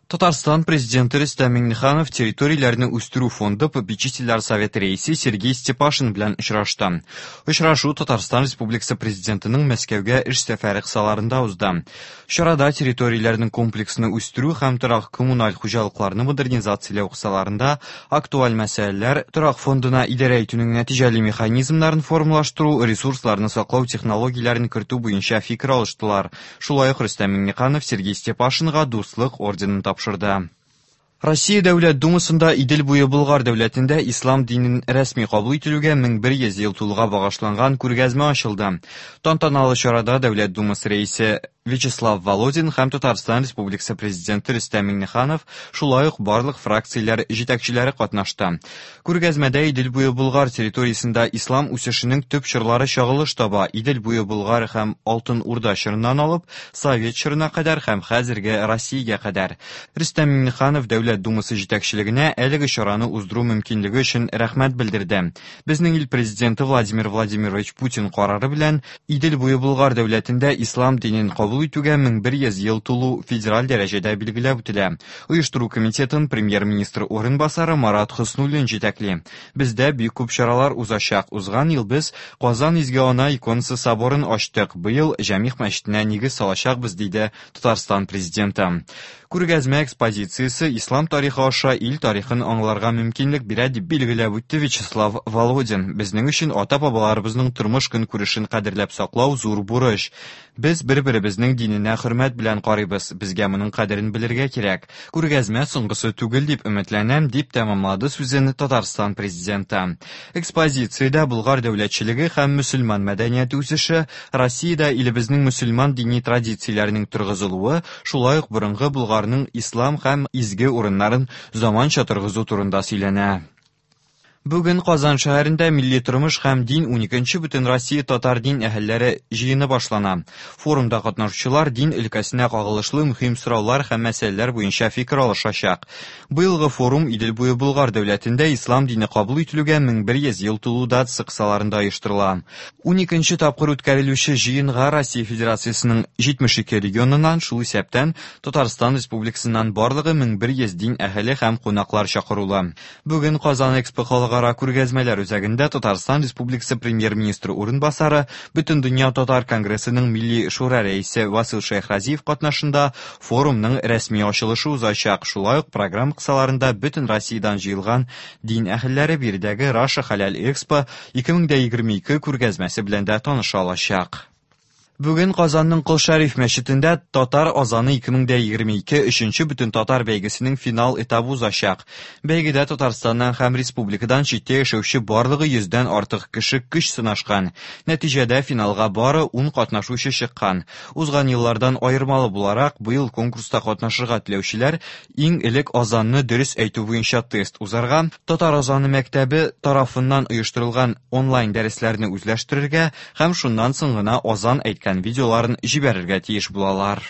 Татарстан Президенты Рөстәм Миңнеханов территорияләрне үстерү фонды попечительләр советы рәисе Сергей Степашин белән очрашты. Очрашу Татарстан Республикасы Президентының Мәскәүгә эш сәфәре кысаларында узды. Чарада территорияләрнең комплексны үстерү һәм торак-коммуналь хуҗалыкларны модернизацияләү кысаларында актуаль мәсьәләләр, торак фондына идарә итүнең нәтиҗәле механизмнарын формалаштыру, ресурсларны саклау технологияләрен кертү буенча фикер алыштылар. Шулай ук Рөстәм Миңнеханов Сергей Степашинга Дуслык орденын тапшырды. Россия Дәүләт Думасында Идел буе Болгар дәүләтендә ислам динен рәсми кабул ителүгә 1100 ел тулуга багышланган күргәзмә ачылды. Тантаналы чарада Дәүләт Думасы рәисе Вячеслав Володин һәм Татарстан Республикасы Президенты Рөстәм Миңнеханов, шулай ук барлык фракцияләр җитәкчеләре катнашты. Күргәзмәдә Идел буе Болгар территориясендә ислам үсешенең төп чорлары чагылыш таба, Идел буе Болгар һәм Алтын Урда чорыннан алып, Совет чорына кадәр һәм хәзерге Россиягә кадәр. Рөстәм Миңнеханов Дәүләт Думасы җитәкчелегенә әлеге чараны уздыру мөмкинлеге өчен рәхмәт белдерде. Безнең ил Президенты Владимир Владимирович Путин карары белән Идел буе Болгар дәүләтендә ислам динен кабул итүгә 1100 ел тулу федераль дәрәҗәдә билгеләп үтелә. Оештыру комитетын премьер-министр урынбасары Марат Хөснуллин җитәкли. Бездә бик күп чаралар узачак. Узган ел без Казан Изге Ана иконасы соборын ачтык. Быел Җәмигъ мәчетенә нигез салачакбыз, диде Татарстан Президенты. Күргәзмә экспозициясе ислам тарихы аша ил тарихын аңларга мөмкинлек бирә, дип билгеләп үтте Вячеслав Володин. Безнең өчен ата-бабаларыбызның тормыш-көнкүрешен кадерләп саклау зур бурыч. Без бер-беребезнең диненә хөрмәт белән карыйбыз, безгә моның кадерен белергә кирәк. Күргәзмә соңгысы түгел дип өметләнәм, дип тәмамлады сүзен Татарстан Президенты. Экспозициядә Болгар дәүләтчелеге һәм мөселман мәдәнияте үсеше, Россиядә илебезнең мөселман дини традицияләренең торгызылуы, шулай ук борынгы Болгарның ислам һәм изге урыннарын заманча торгызу турында сөйләнә. Бүген Казан шәһәрендә Милли тормыш һәм дин уникенче Бөтенроссия татар дин әһелләре җыены башлана. Форумда катнашучылар дин өлкәсенә кагылышлы мөһим сораулар һәм мәсьәләләр буенча фикер алышачак. Быелгы форум Идел буе Болгар дәүләтендә ислам дине кабул ителүгә 1100 ел тулу датасы кысаларында оештырыла. Уникенче тапкыр үткәрелүче җыенга Россия Федерациясенең 72 регионыннан, шул исәптән Татарстан Республикасыннан барлыгы 1100 дин әһеле һәм кунаклар чакырулы. Бүген Казан Экспо халыкара күргәзмәләр үзәгендә Татарстан Республикасы Премьер-министры урынбасары, Бөтендөнья татар конгрессының Милли шура рәисе Васил Шәйхразиев катнашында форумның рәсми ачылышы узачак. Шулай ук программа кысаларында бөтен Россиядән җыелган дин әһелләре биредәге Russia Halal Expo 2022 күргәзмәсе белән дә таныша алачак. Бүген Казанның Кол Шәриф мәчетендә Татар азаны 2022 өченче бөтентатар бәйгесенең финал этабы узачак. Бәйгедә Татарстаннан һәм республикадан читтә яшәүче барлыгы йөздән артык кеше көч сынашкан. Нәтиҗәдә финалга бары ун катнашучы чыккан. Узган еллардан аермалы буларак, быел конкурста катнашырга теләүчеләр Иң элек азанны дөрес әйтү буенча тест узарга, Татар азаны мәктәбе тарафыннан оештырылган онлайн дәресләрне үзләштерергә һәм шуннан соң гына азан әйткән видеоларын җибәрергә тиеш булалар.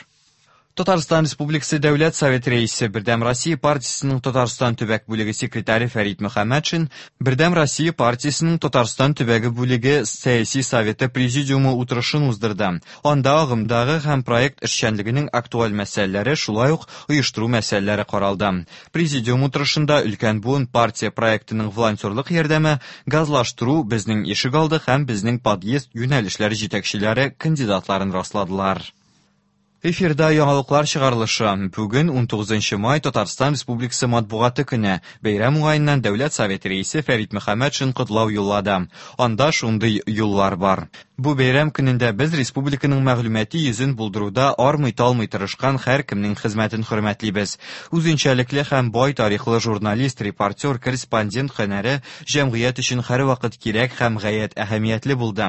Татарстан Республикасы Дәүләт Советы Рәисе, Бердәм Россия партиясенең Татарстан төбәк бүлеге секретаре Фәрит Мөхәммәтшин Бердәм Россия партиясенең Татарстан төбәге бүлеге Сәяси советы президиумы утырышын уздырды. Анда агымдагы һәм проект эшчәнлегенең актуаль мәсьәләләре, шулай ук оештыру мәсьәләләре каралды. Президиум утырышында өлкән буын партия проектының волонтерлык ярдәме, газлаштыру, безнең ишегалды һәм безнең подъезд юнәлешләре җитәкчеләре кандидатларын расладылар. Эфирда яңалыклар чыгарылышы. Бүген 19 май Татарстан Республикасы матбугаты көне. Бәйрәм уңаеннан Дәүләт Советы рәисе Фәрит Мөхәммәтшин котлау юллады. Анда шундый юллар бар. Бу бәйрәм көнендә без республиканың мәгълүмати йөзен булдыруда армый-талмый тырышкан һәркемнең хезмәтен хөрмәтлибез. Үзенчәлекле һәм бай тарихлы журналист, репортер, корреспондент һөнәре җәмгыять өчен һәрвакыт кирәк һәм гаять әһәмиятле булды.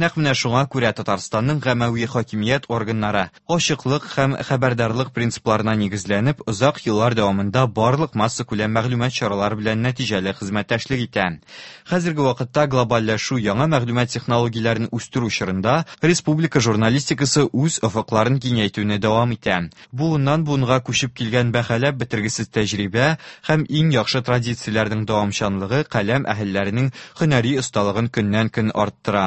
Нәкъ менә шуңа күрә Татарстанның гамәви хакимият органнары, ачыклык һәм хәбәрдарлык принципларына нигезләнеп, озак еллар дәвамында барлык массакүләм мәгълүмат чаралары белән нәтиҗәле хезмәттәшлек итә. Хәзерге вакытта глобальләшү, яңа мәгълүмат технологияләрен үстерү үстерү чорында республика журналистикасы үз офыкларын киңәйтүне дәвам итә. Буыннан буынга күчеп килгән бәһаләп бетергесез тәҗрибә һәм иң яхшы традицияләрнең дәвамчанлыгы каләм әһелләренең һөнәри осталыгын көннән-көн арттыра.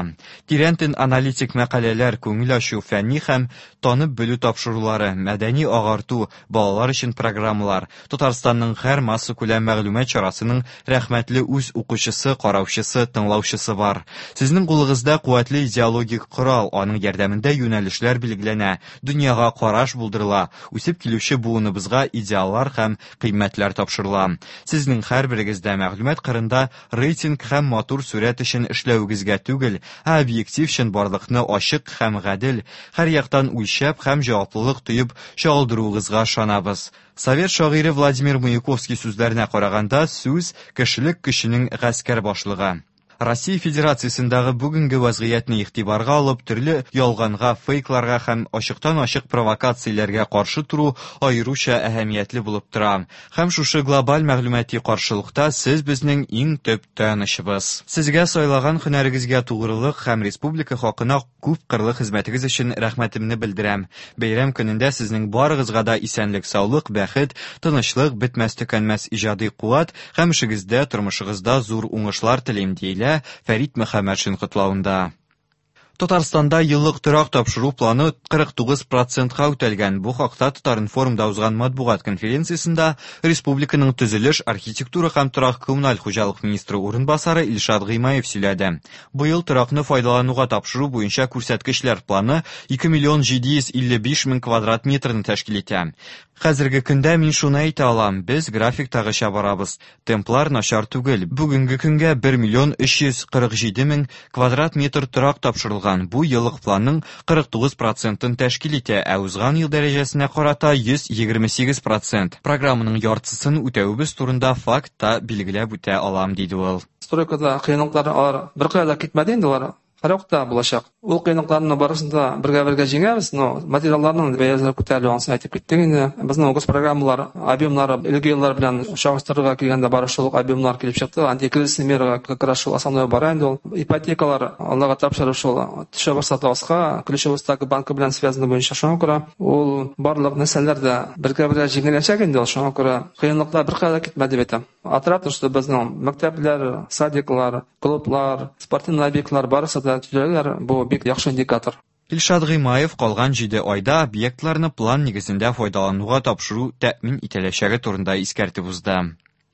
Тирәнтен аналитик мәкаләләр, күңел ачу, фәнни һәм танып белү тапшырулары, мәдәни агарту, балалар өчен программалар, Татарстанның һәр массакүләм мәгълүмат чарасының рәхмәтле үз укучысы, караучысы, тыңлаучысы бар. Сезнең кулыгызда куәтле идеологик корал, аның ярдәмендә юнәлешләр билгеләнә, дөньяга караш булдырыла, үсеп килүче буыныбызга идеаллар һәм кыйммәтләр тапшырыла. Сезнең һәрберегездә мәгълүмат кырында рейтинг һәм матур сурәт өчен эшләвегезгә түгел, ә объектив чынбарлыкны ачык һәм гадел, һәр яктан үлчәп һәм җаваплылык тоеп чагылдыруыгызга ышанабыз. Совет шагыйре Владимир Маяковский сүзләренә караганда, сүз кешелек көченең гаскәр башлыгы. Россия Федерациясендәге бүгенге вәзгыятьне игътибарга алып, төрле ялганга, фейкларга һәм ачыктан-ачык провокацияләргә каршы тору аеруча әһәмиятле булып тора. Һәм шушы глобаль мәгълүмати каршылыкта сез безнең иң төп таянычыбыз. Сезгә сайлаган һөнәрегезгә тугрылык һәм республика хакына күпкырлы хезмәтегез өчен рәхмәтемне белдерәм. Бәйрәм көнендә сезнең барыгызга да исәнлек-саулык, бәхет, тынычлык, бетмәс-төкәнмәс иҗади куәт һәм эшегездә, тормышыгызда зур уңышлар телим, диелә Фәрит Мөхәммәтшин котлавында. Татарстанда еллык торак тапшыру планы 49 процентка үтәлгән. Бу хакта Татар-информда узган матбугат конференциясендә республиканың төзелеш, архитектура һәм торак-коммуналь хуҗалык министры урынбасары Илшат Гыймаев сөйләде. Быел торакны файдалануга тапшыру буенча күрсәткечләр планы 2 миллион 755 мең квадрат метрны тәшкил итә. Хәзерге көндә мин шуны әйтә алам, без графиктагыча барабыз. Темплар начар түгел. Бүгенге көнгә 1 миллион 347 мең квадрат метр торак тапшырылган. Бу еллык планның 49 процентын тәшкил итә, ә узган ел дәрәҗәсенә карата 128 процент. Программаның яртысын үтәвебез турында факт та билгеләп үтә алам, диде ул. Стройкада кыенлыклар алар беркая да китмәде инде, алар һәрвакытта булачак. Ул кыенлыкларны барысын да бергә-бергә җиңәбез, но материалларның бәяләре күтәрелү, анысын әйтеп киттек инде. Безнең госпрограммалар объемнары элге еллар белән чагыштырырга килгәндә бары шул ук объемнар килеп чыкты. Антикризисный мерага как раз шул основной бара инде ул. Ипотекалар Аллага тапшырып шул төшә башлады аска, ключевой ставка банкы белән связано буенча, шуңа күрә ул барлык нәрсәләр дә бергә-бергә җиңеләчәк инде ул, шуңа күрә кыенлыклар беркая да китмәде дип әйтәм. Отрадно, что безнең мәктәпләр, садиклар, клублар, спортивный объектлар барысы да төзеләләр, бу бик яхшы индикатор. Илшат Гыймаев калган җиде айда объектларны план нигезендә файдалануга тапшыру тәэмин ителәчәге турында искәртеп узды.